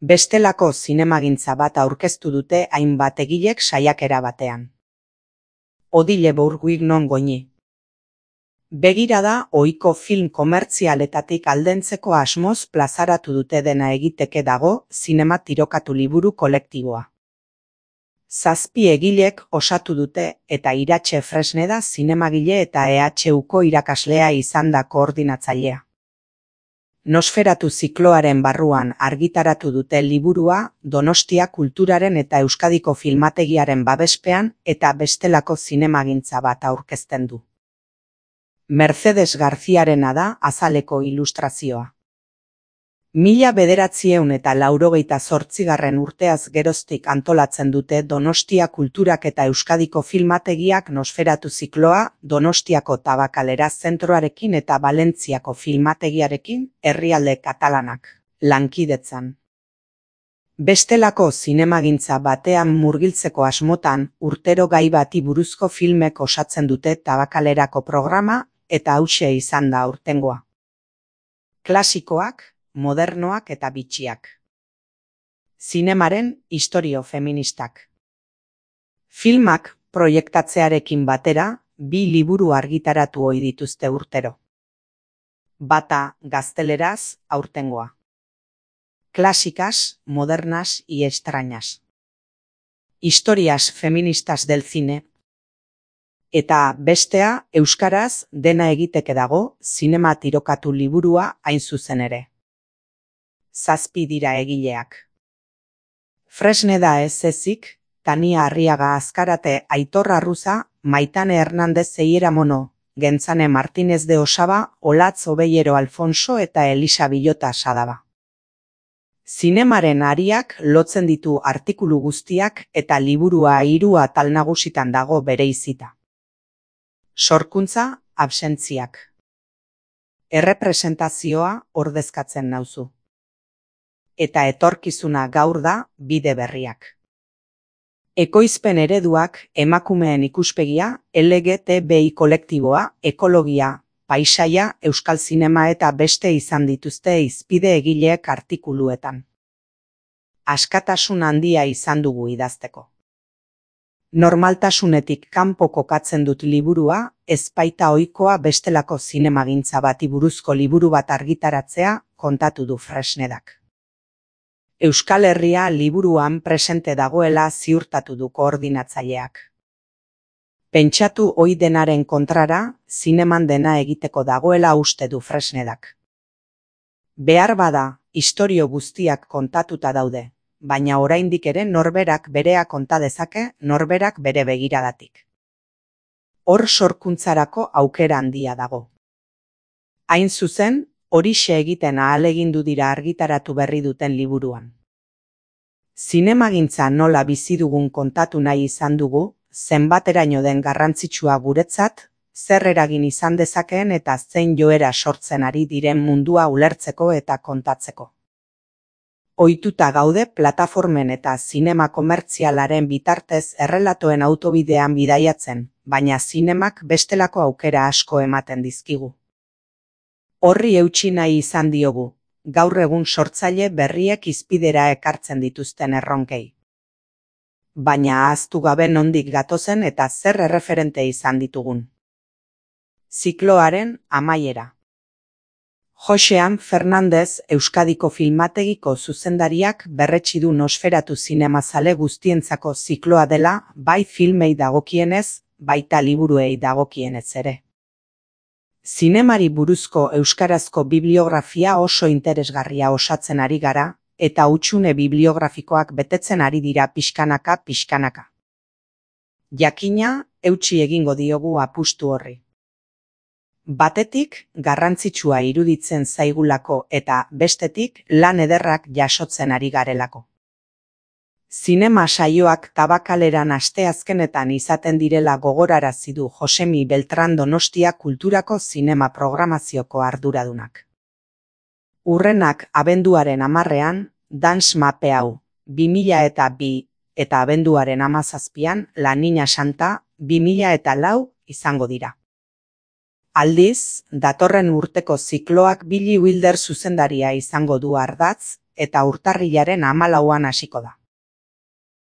Bestelako zinemagintza bat aurkeztu dute hainbat egilek saiakera batean. Odile Bourguignon goñi. Begirada ohiko film komertzialetatik aldentzeko asmoz plazaratu dute dena egiteke dago zinema tirokatu liburu kolektiboa. 7 egilek osatu dute eta Iratxe Fresneda zinemagile eta EHUko irakaslea izan da koordinatzailea. Nosferatu zikloaren barruan argitaratu dute liburua Donostia kulturaren eta Euskadiko filmategiaren babespean eta bestelako zinemagintza bat aurkezten du. Mercedes Garziarena da azaleko ilustrazioa. 1988 urteaz geroztik antolatzen dute Donostia kulturak eta Euskadiko filmategiak Nosferatu zikloa Donostiako Tabakalera zentroarekin eta Valentziako filmategiarekin herrialde katalanak lankidetzan. Bestelako zinemagintza batean murgiltzeko asmotan urtero gai bati buruzko filmek osatzen dute Tabakalerako programa eta hauxe izan da aurtengoa. Klasikoak, modernoak eta bitxiak. Zinemaren istorio feministak. Filmak proiektatzearekin batera 2 liburu argitaratu ohi dituzte urtero. Bata gazteleraz aurtengoa. Clásicas, modernas y extrañas. Historias feministas del cine. Eta bestea euskaraz dena egiteke dago zinema tirokatu liburua hain zuzen ere. 7 dira egileak. Fresneda ez ezik, Tania Arriaga Azkarate, Aitor Arruza, Maitane Hernández Zeiera Mono, Gentzane Martínez de Osaba, Olatz Obeiero Alfonso eta Elisa Bilota Sadaba. Zinemaren ariak lotzen ditu artikulu guztiak eta liburua 3 atal nagusitan dago bereizita. Sorkuntza, absentziak. Errepresentazioa ordezkatzen nauzu. Eta etorkizuna gaur da bide berriak. Ekoizpen ereduak emakumeen ikuspegia, LGTBI kolektiboa, ekologia, paisaia, euskal zinema eta beste izan dituzte hizpide egileek artikuluetan. Askatasun handia izan dugu idazteko. Normaltasunetik kanpo kokatzen dut liburua, ez baita ohikoa bestelako zinemagintza bati buruzko liburu bat argitaratzea kontatu du Fresnedak. Euskal Herria liburuan presente dagoela ziurtatu du koordinatzaileak. Pentsatu ohi denaren kontrara, zineman dena egiteko dagoela uste du Fresnedak. Behar bada, istorio guztiak kontatuta daude, baina oraindik ere norberak berea konta dezake, norberak bere begiradatik. Hor sorkuntzarako aukera handia dago. Hain zuzen, horixe egiten ahalegindu dira argitaratu berri duten liburuan. Zinemagintza nola bizi dugun kontatu nahi izan dugu, zenbateraino den garrantzitsua guretzat, zer eragin izan dezakeen eta zein joera sortzen ari diren mundua ulertzeko eta kontatzeko. Ohituta gaude plataformen eta zinema komertzialaren bitartez errelatoen autobidean bidaiatzen, baina zinemak bestelako aukera asko ematen dizkigu. Horri eutsi nahi izan diogu, gaur egun sortzaile berriek hizpidera ekartzen dituzten erronkei. Baina ahaztu gabe nondik gatozen eta zer erreferente izan ditugun. Zikloaren amaiera. Josean Fernandez Euskadiko filmategiko zuzendariak berretsi du Nosferatu zinemazale guztientzako zikloa dela, bai filmei dagokienez, baita liburuei dagokienez ere. Zinemari buruzko euskarazko bibliografia oso interesgarria osatzen ari gara, eta hutsune bibliografikoak betetzen ari dira pixkanaka. Jakina, eutsi egingo diogu apustu horri. Batetik, garrantzitsua iruditzen zaigulako eta bestetik lan ederrak jasotzen ari garelako. Zinema saioak Tabakaleran asteazkenetan izaten direla gogorarazi du Josemi Beltran Donostia kulturako zinema programazioko arduradunak. Hurrenak abenduaren 10ean, Dance Mape hau, 2002 eta abenduaren 17an, La Niña Santa, 2004 izango dira. Aldiz, datorren urteko zikloak Billy Wilder zuzendaria izango du ardatz, eta urtarrilaren 14an hasiko da.